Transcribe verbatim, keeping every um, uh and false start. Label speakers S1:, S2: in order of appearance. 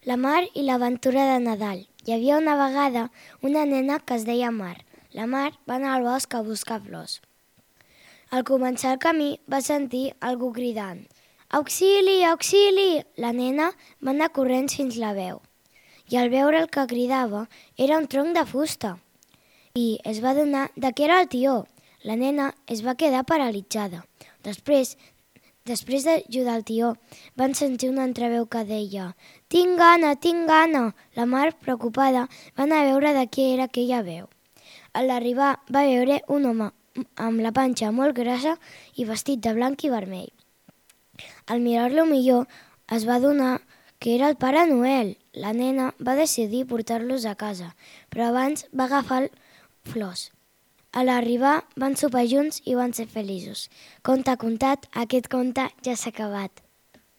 S1: La Mar i l'aventura de Nadal. Hi havia una vegada una nena que es deia Mar. La Mar va anar al bosc a buscar flors. Al començar el camí va sentir algú cridant: «Auxili, auxili!». La nena va anar corrents fins la veu i al veure el que cridava era un tronc de fusta i es va adonar de que era el tió. La nena es va quedar paralitzada. Després, després d'ajudar el tió, van sentir una altra veu que deia: «Tinc gana, tinc gana!». La Mar, preocupada, va anar a veure de què era aquella veu. A l'arribar va veure un home amb la panxa molt grassa i vestit de blanc i vermell. Al mirar-lo millor es va adonar que era el Pare Noel. La nena va decidir portar-los a casa, però abans va agafar flors. A l'arribar van sopar junts i van ser feliços. Conte contat, aquest conte ja s'ha acabat.